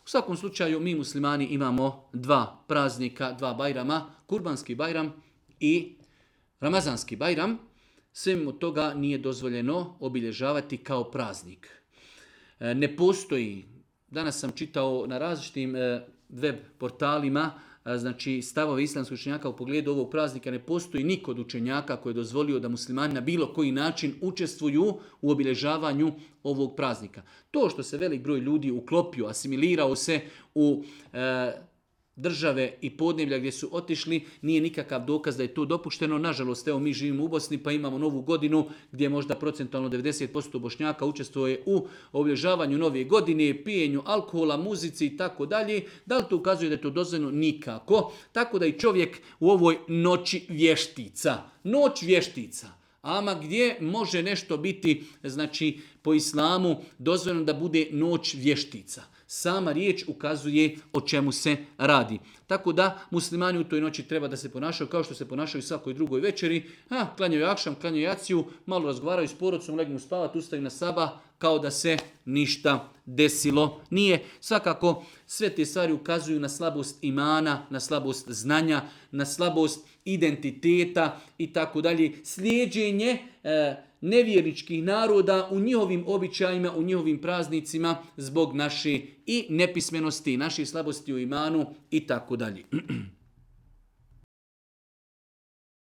U svakom slučaju mi muslimani imamo dva praznika, dva bajrama, Kurbanski bajram i Ramazanski bajram. Sve mimo toga nije dozvoljeno obilježavati kao praznik. Ne postoji, danas sam čitao na različitim web portalima, znači stavove islamskog učenjaka u pogledu ovog praznika, ne postoji niko od učenjaka koji je dozvolio da muslimani na bilo koji način učestvuju u obilježavanju ovog praznika. To što se velik broj ljudi uklopio, asimilirao se u države i podneblja gdje su otišli, nije nikakav dokaz da je to dopušteno. Nažalost, evo mi živimo u Bosni pa imamo novu godinu gdje možda procentualno 90% Bošnjaka učestvuje u obilježavanju nove godine, pijenju alkohola, muzici i tako dalje. Da li to ukazuje da je to dozvoljeno? Nikako. Tako da i čovjek u ovoj noći vještica. Noć vještica. Ama gdje može nešto biti, znači po islamu, dozvoljeno da bude noć vještica. Sama riječ ukazuje o čemu se radi. Tako da muslimani u toj noći treba da se ponašaju kao što se ponašaju svakoj drugoj večeri. Klanjaju akšam, klanjaju jaciju, malo razgovaraju s porodicom, legnu spavati, ustaju na sabah kao da se ništa desilo nije. Svakako sve te stvari ukazuju na slabost imana, na slabost znanja, na slabost identiteta i tako dalje. Slijeđenje nevjerničkih naroda u njihovim običajima, u njihovim praznicima zbog naše i nepismenosti, naše slabosti u imanu i tako dalje.